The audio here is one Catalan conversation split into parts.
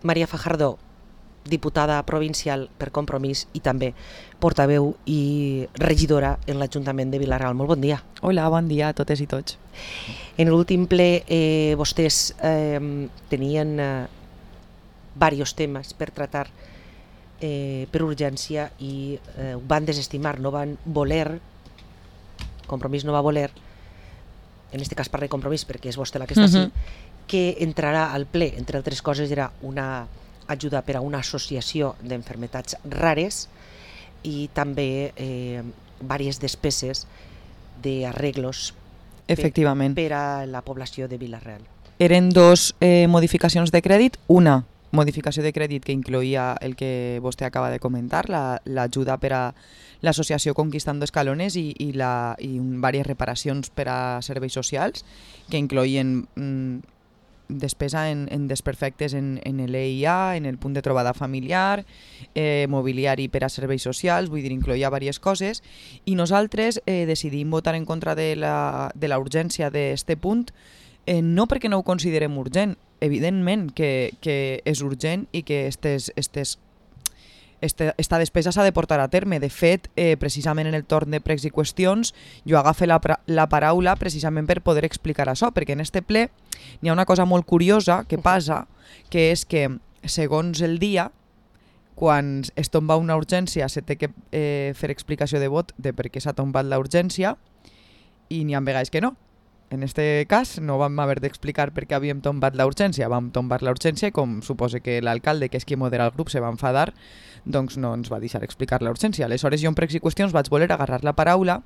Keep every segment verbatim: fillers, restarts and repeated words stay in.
Maria Fajardo, diputada provincial per Compromís i també portaveu i regidora en l'Ajuntament de Vila-real. Molt bon dia. Hola, bon dia a totes i tots. En l'últim ple eh, vostès eh, tenien eh, diversos temes per tractar eh, per urgència i eh, ho van desestimar, no van voler, Compromís no va voler, en aquest cas parla de Compromís perquè és vostè la que està Mhm. així, que entrarà al ple, entre altres coses era una ajuda per a una associació d'enfermetats rares i també eh, diverses despeses d'arreglos Efectivament. per, per a la població de Vila-real. Eren dos eh, modificacions de crèdit. Una modificació de crèdit que incloïa el que vostè acaba de comentar, la- l'ajuda per a l'associació Conquistando Escalones i, i, la, i diverses reparacions per a serveis socials que incloïen mm, despesa en, en desperfectes en, en l'E I A, en el punt de trobada familiar, eh, mobiliari per a serveis socials, vull dir, incloïa diverses coses, i nosaltres eh, decidim votar en contra de la, de la urgència d'este punt, eh, no perquè no ho considerem urgent, evidentment que, que és urgent i que estes, estes Este, esta despesa s'ha de portar a terme. De fet, eh, precisament en el torn de pregs i qüestions, jo agafe la, la paraula precisament per poder explicar això, perquè en este ple n'hi ha una cosa molt curiosa que passa, que és que, segons el dia, quan es tomba una urgència se té que eh, fer explicació de vot de per què s'ha tombat la urgència, i n'hi ha vegades que no. En este cas no vam haver d'explicar per què havíem tombat la urgència, vam tombar la urgència i com suposa que l'alcalde, que és qui modera el grup, se va enfadar, doncs no ens va deixar explicar la urgència. Aleshores jo en pregs i qüestions vaig voler agarrar la paraula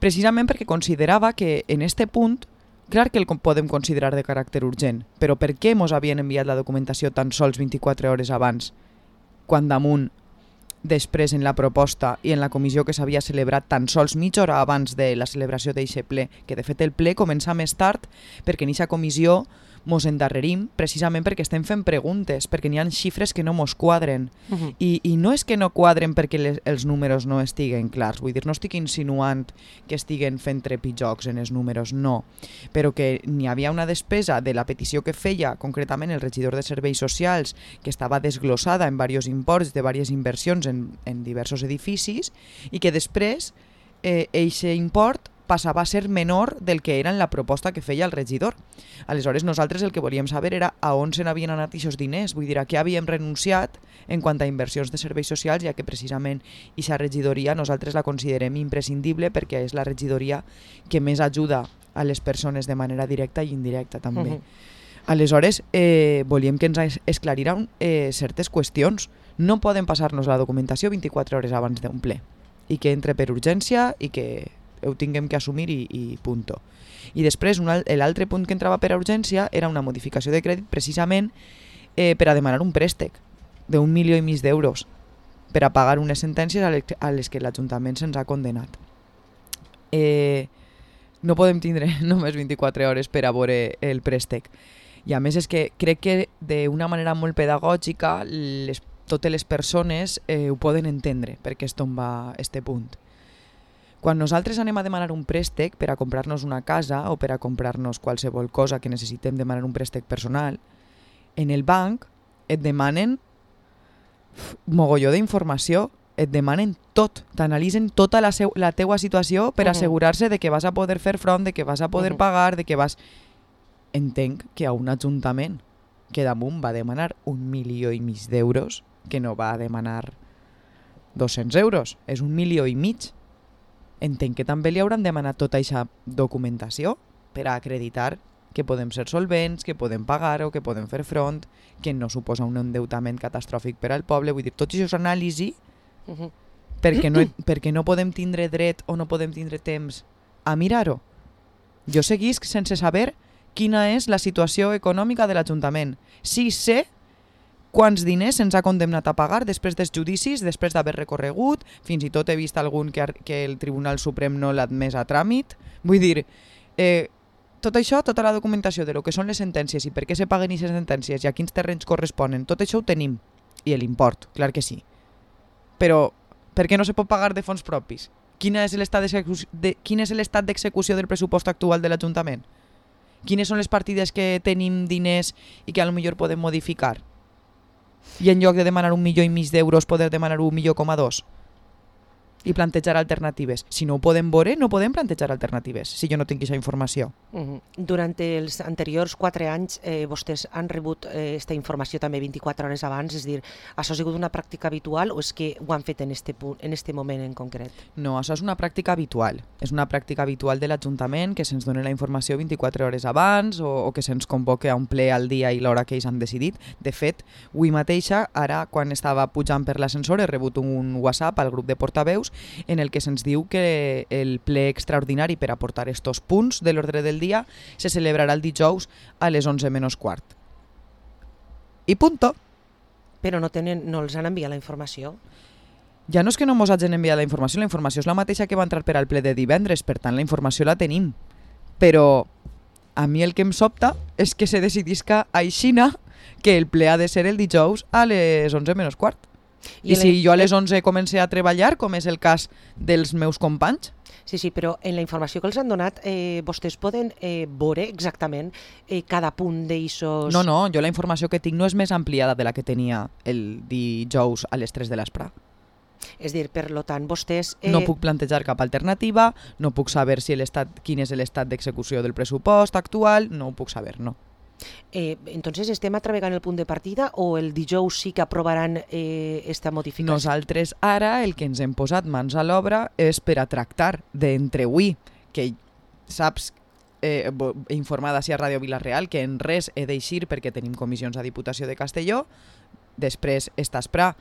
precisament perquè considerava que en este punt, clar que el podem considerar de caràcter urgent, però per què mos havien enviat la documentació tan sols vint-i-quatre hores abans, quan damunt després en la proposta i en la comissió que s'havia celebrat tan sols mitja hora abans de la celebració d'eixe ple, que de fet el ple comença més tard perquè en eixa comissió mos endarrerim precisament perquè estem fent preguntes, perquè n'hi ha xifres que no mos quadren. Uh-huh. I, I no és que no quadren perquè les, els números no estiguen clars, vull dir, no estic insinuant que estiguen fent trepitjocs en els números, no, però que n'hi havia una despesa de la petició que feia concretament el regidor de Serveis Socials, que estava desglossada en diversos imports de diverses inversions en, en diversos edificis, i que després eh, eixe import passava a ser menor del que era en la proposta que feia el regidor. Aleshores, nosaltres el que volíem saber era a on se n'havien anat aquests diners, vull dir, a què havíem renunciat en quant a inversions de serveis socials, ja que precisament aquesta regidoria nosaltres la considerem imprescindible perquè és la regidoria que més ajuda a les persones de manera directa i indirecta també. Uh-huh. Aleshores, eh, volíem que ens esclariran eh, certes qüestions. No poden passar-nos la documentació vint-i-quatre hores abans d'un ple i que entre per urgència i que ho tinguem que assumir i, i punto. I després l'altre punt que entrava per a urgència era una modificació de crèdit precisament eh, per a demanar un préstec d'un milió i mig d'euros per a pagar unes sentències a les, a les que l'Ajuntament se'ns ha condenat. Eh, no podem tindre només vint-i-quatre hores per a veure el préstec. I a més és que crec que d'una manera molt pedagògica les, totes les persones eh, ho poden entendre perquè es tomba este punt. Quan nosaltres anem a demanar un préstec per a comprar-nos una casa o per a comprar-nos qualsevol cosa que necessitem demanar un préstec personal, en el banc et demanen mogolló d'informació, et demanen tot, t'analitzen tota la, seu, la teua situació per uh-huh. assegurar-se de que vas a poder fer front, de que vas a poder uh-huh. pagar, de que vas... Entenc que a un ajuntament que damunt va demanar un milió i mig d'euros, que no va demanar dos-cents euros, és un milió i mig. Entenc que també li hauran demanat tota aquesta documentació per a acreditar que podem ser solvents, que podem pagar o que podem fer front, que no suposa un endeutament catastròfic per al poble. Vull dir, tot això és anàlisi uh-huh. perquè, no, perquè no podem tindre dret o no podem tindre temps a mirar-ho. Jo seguisc sense saber quina és la situació econòmica de l'Ajuntament. Sí sé quants diners se'ns ha condemnat a pagar després dels judicis, després d'haver recorregut, fins i tot he vist algun que, que el Tribunal Suprem no l'ha admès a tràmit. Vull dir, eh, tot això, tota la documentació de lo que són les sentències i per què se paguen aquestes sentències i a quins terrenys corresponen, tot això ho tenim. I l'import, clar que sí. Però per què no se pot pagar de fons propis? Quin és l'estat de, quin és l'estat d'execució del pressupost actual de l'Ajuntament? Quines són les partides que tenim diners i que a lo millor podem modificar? I en lloc de demanar un milió i mig d'euros poder demanar un milió coma dos i plantejar alternatives. Si no ho podem veure, no podem plantejar alternatives, si jo no tinc aquesta informació. Uh-huh. Durant els anteriors quatre anys eh, vostès han rebut aquesta eh, informació també vint-i-quatre hores abans, és a dir, això ha sigut una pràctica habitual o és que ho han fet en este, punt, en este moment en concret? No, això és una pràctica habitual. És una pràctica habitual de l'Ajuntament que se'ns doni la informació vint-i-quatre hores abans o, o que se'ns convoque a un ple al dia i l'hora que ells han decidit. De fet, avui mateixa, ara, quan estava pujant per l'ascensor, he rebut un WhatsApp al grup de portaveus en el que se'ns diu que el ple extraordinari per aportar estos punts de l'ordre del dia se celebrarà el dijous a les onze menys quart. I punto. Però no, tenen, no els han enviat la informació? Ja no és que no mos hagin enviat la informació, la informació és la mateixa que va entrar per al ple de divendres, per tant la informació la tenim. Però a mi el que em sobta és que se decidisca a Xina que el ple ha de ser el dijous a les onze menys quart. I, I si jo a les onze comencé a treballar, com és el cas dels meus companys? Sí, sí, però en la informació que els han donat eh, vostès poden eh, veure exactament eh, cada punt d'eixos... No, no, jo la informació que tinc no és més ampliada de la que tenia el dijous a les tres de l'espre. És dir, per lo tant, vostès... Eh... No puc plantejar cap alternativa, no puc saber si l'estat, quin és l'estat d'execució del pressupost actual, no ho puc saber, no. Eh, entonces estem atravegant el punt de partida o el dijous sí que aprovaran eh, esta modificació? Nosaltres ara el que ens hem posat mans a l'obra és per a tractar d'entre avui, que saps, eh, informada si a Ràdio Vila-real, que en res he d'eixir perquè tenim comissions a Diputació de Castelló, després esta espra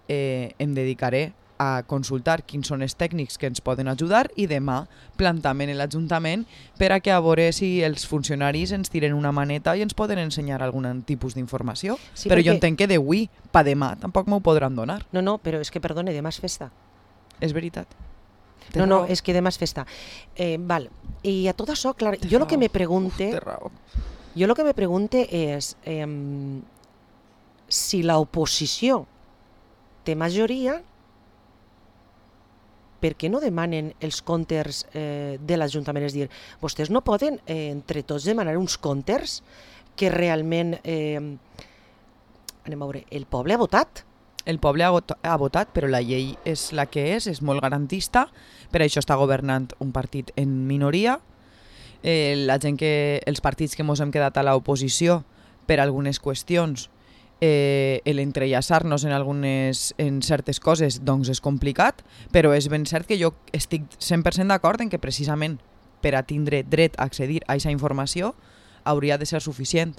eh, em dedicaré a consultar quins són els tècnics que ens poden ajudar i demà plantament en l'Ajuntament per a que a veure si els funcionaris ens tiren una maneta i ens poden ensenyar algun tipus d'informació. Sí, però perquè... jo entenc que d'avui pa demà tampoc m'ho podran donar. No, no, però és que, perdone, demà és festa. És veritat. No, no, és que demà és festa. Eh, val. I a tot això, clar, Té jo el que me pregunte... Jo el que me pregunte és eh, si l'oposició té majoria, per què no demanen els comptes eh, de l'Ajuntament? És dir, vostès no poden eh, entre tots demanar uns comptes que realment, eh, anem a veure, el poble ha votat. El poble ha, ha votat, però la llei és la que és, és molt garantista, per això està governant un partit en minoria. Eh, la gent que, els partits que ens hem quedat a l'oposició per algunes qüestions, Eh, l'entrellaçar-nos en algunes en certes coses doncs és complicat, però és ben cert que jo estic cent per cent d'acord en que precisament per a tindre dret a accedir a aquesta informació hauria de ser suficient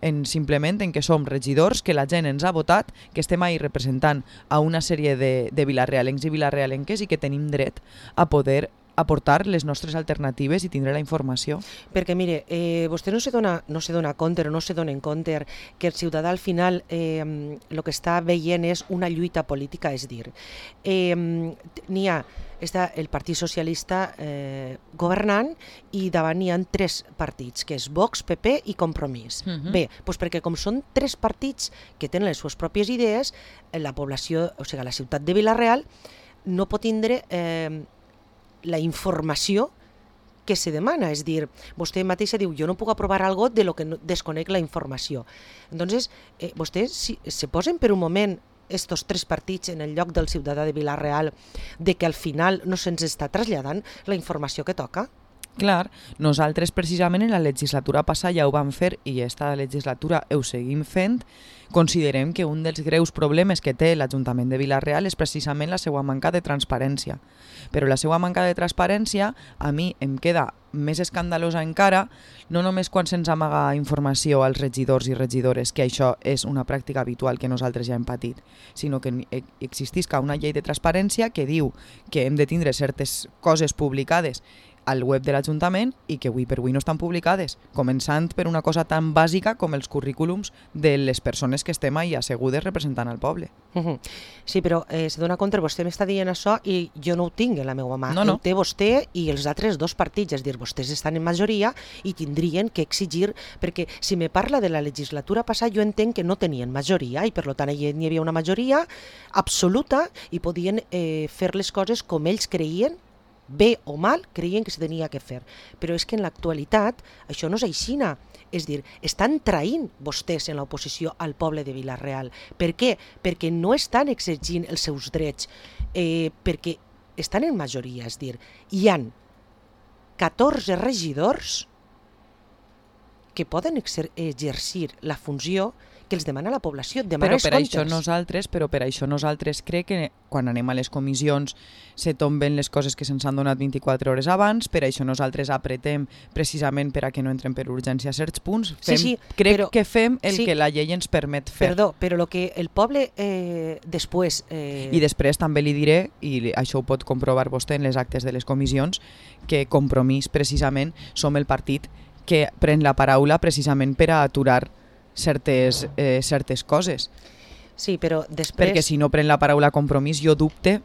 en simplement en que som regidors, que la gent ens ha votat, que estem ahí representant a una sèrie de, de vilarrealencs i vilarrealenques i que tenim dret a poder aportar les nostres alternatives i tindre la informació. Perquè, mire, eh, vostè no se dona, no se dona compte o no se dona en compte que el ciutadà al final eh, el que està veient és una lluita política, és dir, eh, n'hi ha està el Partit Socialista eh, governant i davant n'hi ha tres partits, que és Vox, P P i Compromís. Uh-huh. Bé, doncs perquè com són tres partits que tenen les seves pròpies idees, la població, o sigui, la ciutat de Vila-real no pot tindre eh, la informació que se demana, és dir, vostè mateixa diu, jo no puc aprovar algo de lo que no, desconec la informació. Entonces, eh, vostès si, se posen per un moment estos tres partits en el lloc del ciutadà de Vila-real de que al final no se'ns està traslladant la informació que toca? Clar, nosaltres precisament en la legislatura passada ja ho vam fer i esta legislatura ho seguim fent. Considerem que un dels greus problemes que té l'Ajuntament de Vila-real és precisament la seva manca de transparència. Però la seva manca de transparència a mi em queda més escandalosa encara, no només quan se'ns amaga informació als regidors i regidores, que això és una pràctica habitual que nosaltres ja hem patit, sinó que existisca una llei de transparència que diu que hem de tindre certes coses publicades al web de l'Ajuntament i que avui per avui no estan publicades, començant per una cosa tan bàsica com els currículums de les persones que estem ahí assegudes representant al poble. Uh-huh. Sí, però eh, se dona compte, vostè m'està dient això i jo no ho tinc en la meva mà. No, no. Ho té vostè i els altres dos partits, és dir, vostès estan en majoria i tindrien que exigir, perquè si me parla de la legislatura passada jo entenc que no tenien majoria i per tant hi havia una majoria absoluta i podien eh, fer les coses com ells creien bé o mal, creien que se tenia que fer. Però és que en l'actualitat això no és aixina. És dir, estan traint vostès en l'oposició al poble de Vila-real. Per què? Perquè no estan exigint els seus drets, eh, perquè estan en majoria, és dir, hi han catorze regidors que poden exer exercir la funció que els demana la població, demanar però els per comptes. això nosaltres, però per això nosaltres crec que quan anem a les comissions se tomben les coses que se'ns han donat vint-i-quatre hores abans, per això nosaltres apretem precisament per a que no entren per urgència certs punts. Fem, sí, sí, crec però, que fem el sí, que la llei ens permet fer. Perdó, però el que el poble eh, després... Eh... I després també li diré, i això ho pot comprovar vostè en les actes de les comissions, que Compromís precisament som el partit que pren la paraula precisament per a aturar certes, eh, certes coses. Sí, però després... Perquè si no pren la paraula Compromís, jo dubte,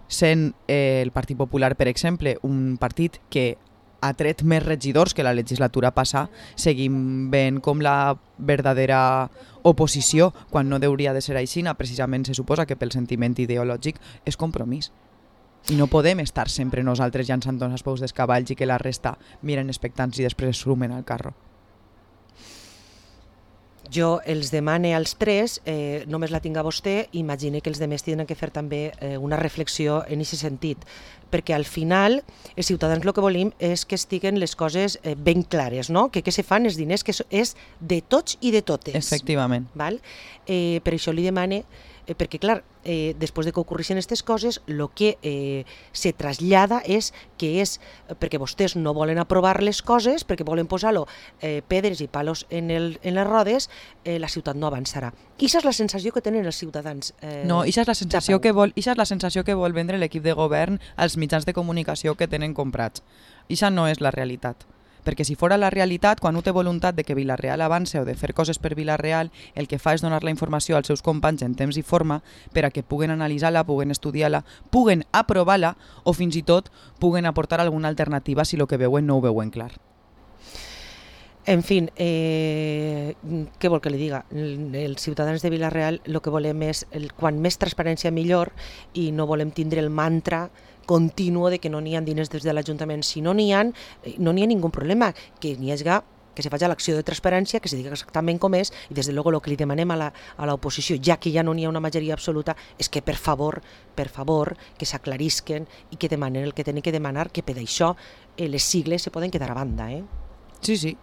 sent eh, el Partit Popular, per exemple, un partit que ha tret més regidors que la legislatura passada, seguim veient com la verdadera oposició, quan no hauria de ser així, precisament se suposa que pel sentiment ideològic és Compromís. I no podem estar sempre nosaltres llançant els peus dels cavalls i que la resta miren expectants i després es sumen al carro. Jo els demane als tres, eh, només la tinc a vostè, imagine que els demés tenen que fer també eh, una reflexió en aquest sentit, perquè al final els ciutadans el que volim és que estiguen les coses eh, ben clares, no? que què se fan els diners, que és de tots i de totes. Efectivament. Val? Eh, per això li demane, eh, perquè clar, eh, després de que ocorreixen aquestes coses, el que eh, se trasllada és que és, perquè vostès no volen aprovar les coses, perquè volen posar-lo eh, pedres i palos en, el, en les rodes, eh, la ciutat no avançarà. I això és la sensació que tenen els ciutadans. Eh, no, això és la sensació que vol, això és la sensació que vol vendre l'equip de govern als mitjans de comunicació que tenen comprats. Això no és la realitat. Perquè si fora la realitat, quan no té voluntat de que Vila-real avance o de fer coses per Vila-real, el que fa és donar la informació als seus companys en temps i forma per a que puguen analitzar-la, puguen estudiar-la, puguen aprovar-la o fins i tot puguen aportar alguna alternativa si el que veuen no ho veuen clar. En fi, eh, què vol que li diga? Els ciutadans de Vila-real el que volem és, el, quan més transparència millor, i no volem tindre el mantra continuo de que no n'hi ha diners des de l'Ajuntament. Si no n'hi ha, no n'hi ha ningú problema, que n'hi hagi que se faci l'acció de transparència, que se digui exactament com és, i des de luego el que li demanem a l'oposició, ja que ja no n'hi ha una majoria absoluta, és que per favor, per favor, que s'aclarisquen i que demanen el que tenen que demanar, que per això eh, les sigles se poden quedar a banda. Eh? Sí, sí.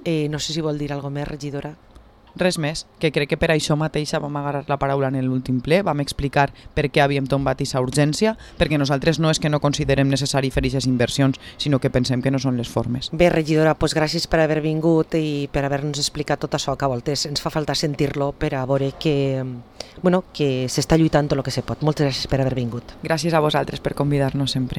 Eh, no sé si vol dir alguna més, regidora. Res més, que crec que per això mateixa vam agarrar la paraula en l'últim ple, vam explicar per què havíem tombat aquesta urgència, perquè nosaltres no és que no considerem necessari fer aquestes inversions, sinó que pensem que no són les formes. Bé, regidora, doncs gràcies per haver vingut i per haver-nos explicat tot això, que a voltes ens fa falta sentir-lo per a veure que, bueno, que s'està lluitant tot el que se pot. Moltes gràcies per haver vingut. Gràcies a vosaltres per convidar-nos sempre.